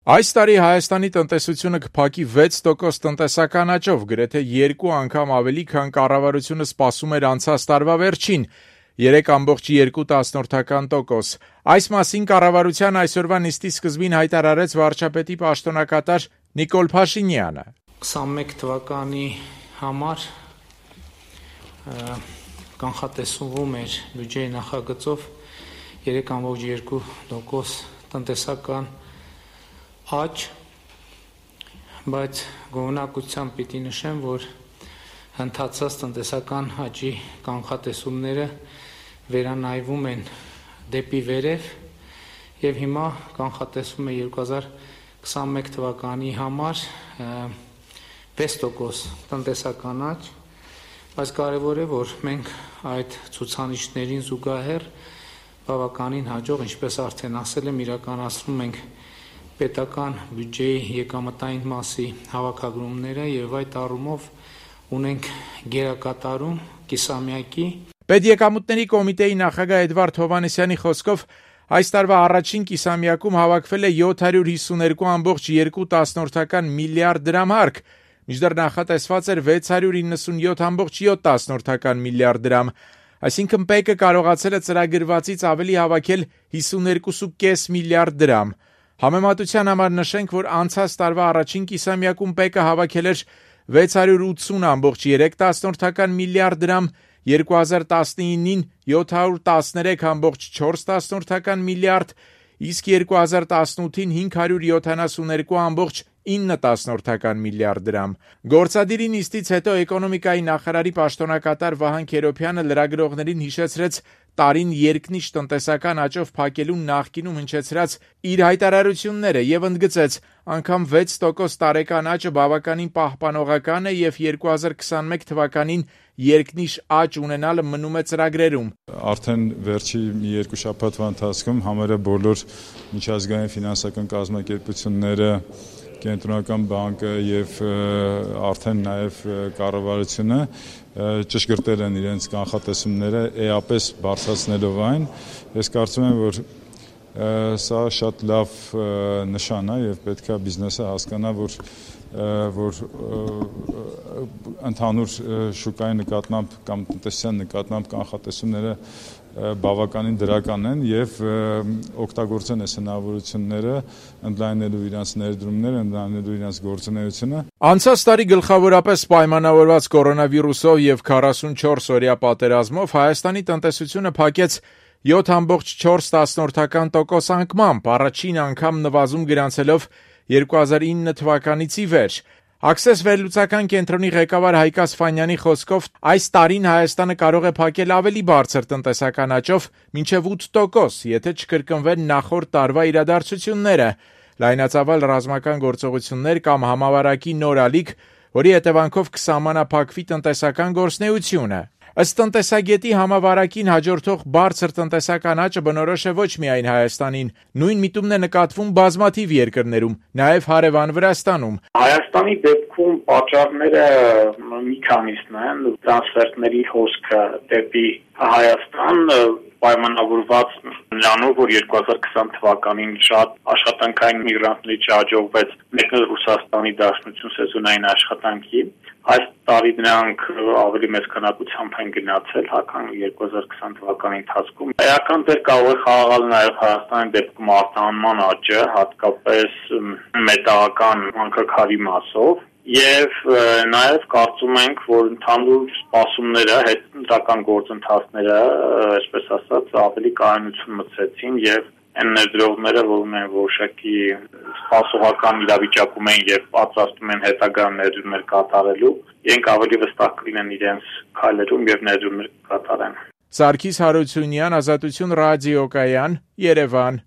Այս տարի Հայաստանի տնտեսությունը կփակի 6% տնտեսական աճով, գրեթե 2 անգամ ավելի, քան կառավարությունը սպասում էր անցած տարվա վերջին՝ 3,2%։ Այս մասին կառավարության այսօրվա նիստի սկզբին հայտարարեց վարչապետի պաշտոնակատար Նիկոլ Փաշինյանը։ 21 թվականի համար կանխատեսվում էր բյուջեի նախագծով 3,2% տնտեսական աճ, բայց գոհունակությամբ պիտի նշեմ, որ ընթացած տնտեսական աճի կանխատեսումները վերանայվում են դեպի վերև եւ հիմա կանխատեսվում է 2021 թվականի համար 6% տնտեսական աճ, բայց կարևոր է, որ մենք այդ ցուցանիշներին զուգահեռ բավականին հաջող, ինչպես արդեն ասել եմ, իրականացնում ենք պետական բյուջեի եկամտային մասի հավաքագրումները եւ այդ առումով ունենք գերակատարում կիսամյակի։ Պետեկամուտների կոմիտեի նախագահ Էդվարդ Հովհաննիսյանի խոսքով այս տարվա առաջին կիսամյակում հավաքվել է 752,2 միլիարդ դրամ հարկ, մինչդեռ նախատեսված էր 697,7 միլիարդ դրամ, այսինքն ՊԵԿ-ը կարողացել է ծրագրվածից ավելի հավաքել 52,5 միլիարդ դրամ։ Համեմատության համար նշենք, որ անցած տարվա առաջին կիսամյակում ՊԵԿ-ը հավաքել էր 680,3 միլիարդ դրամ, 2019-ին 713,4 միլիարդ, իսկ 2018-ին 572,9 միլիարդ դրամ։ Գործադիրի նիստից հետո էկոնոմիկայի նախարարի պաշտոնակատար Վահան Քերոբյանը լրագրողներին հիշեցրեց տարին երկնիշ տնտեսական աճով փակելու նախկինում հնչեցրած իր հայտարարությունները եւ ընդգծեց, անգամ 6% տարեկան աճը բավականին պահպանողական է եւ 2021 թվականին երկնիշ աճ ունենալը մնում է ծրագրերում։ Արդեն վերջի մի երկու շաբաթվա ընթացքում համարը բոլոր միջազգային ֆինանսական կազմակերպությունները, Կենտրոնական բանկը եւ արդեն նաեւ կառավարությունը ճշգրտել են իրենց կանխատեսումները էապես բարձրացնելով այն։ Ես կարծում եմ, որ սա շատ լավ նշան է եւ պետք է բիզնեսը հասկանա, որ ընդհանուր շուկայի նկատմամբ կամ տնտեսության նկատմամբ կանխատեսումները բավականին դրական են եւ օգտագործեն այս հնարավորությունները ընդլայնելու իրենց ներդրումները, ընդլայնելու իրենց գործունեությունը։ Անցած տարի գլխավորապես պայմանավորված կորոնավիրուսով եւ 44 օրյա պատերազմով Հայաստանի տնտեսությունը փակեց 7,4% անկմամբ, առաջին անգամ նվազում գրանցելով 2009 թվականից ի վեր։ Access վերլուծական կենտրոնի ղեկավար Հայկ Ասֆանյանի խոսքով այս տարին Հայաստանը կարող է փակել ավելի բարձր տնտեսական աճով, մինչև 8%, եթե չկրկնվեն նախորդ տարվա իրադարձությունները, լայնածավալ ռազմական գործողություններ կամ համավարակի նոր ալիք, որի հետևանքով կսահմանափակվի տնտեսական գործունեությունը։ Ըստ տնտեսագետի համավարակին հաջորդող բարձր տնտեսական աճը բնորոշ է ոչ միայն Հայաստանին, նույն միտումն է նկատվում բազմաթիվ երկրներում, նաև հարևան Վրաստանում։ Հայաստանի դեպքում պատճառները մի քանիսն են, տրանսֆերտների հոսքը դեպի Հայաստան պայմանավորված նրանով, որ 2020 թվականին շատ աշխատանքային միգրանտների չհաջողվեց մեկնել Ռուսաստանի Դաշնություն սեզոնային աշխատանքի։ Այս տարի նրանք ավելի մեծ քանակությամբ են գնացել, քան 2020 թվականի ընթացքում։ Էական դեր կարող է խաղալ նաև Հայաստանի դեպքում արտահանման աճը, հատկապես մետաղական հանքաքարի մասով, եւ նաեւ կարծում ենք, որ ընդհանուր սպասումները, հետընտրական գործընթացները, այսպես ասած, ավելի կայունություն մտցեցին եւ այն ներդրողները, որ ունեն որոշակի սպասողական իրավիճակում են եւ պատրաստում են հետագա ներդրումներ կատարելու, իրենք ավելի վստահ կլինեն իրենց քայլերում եւ ներդրումներ կկատարեն։ Սարգիս Հարությունյան, Ազատություն ռադիոկայան, Երևան։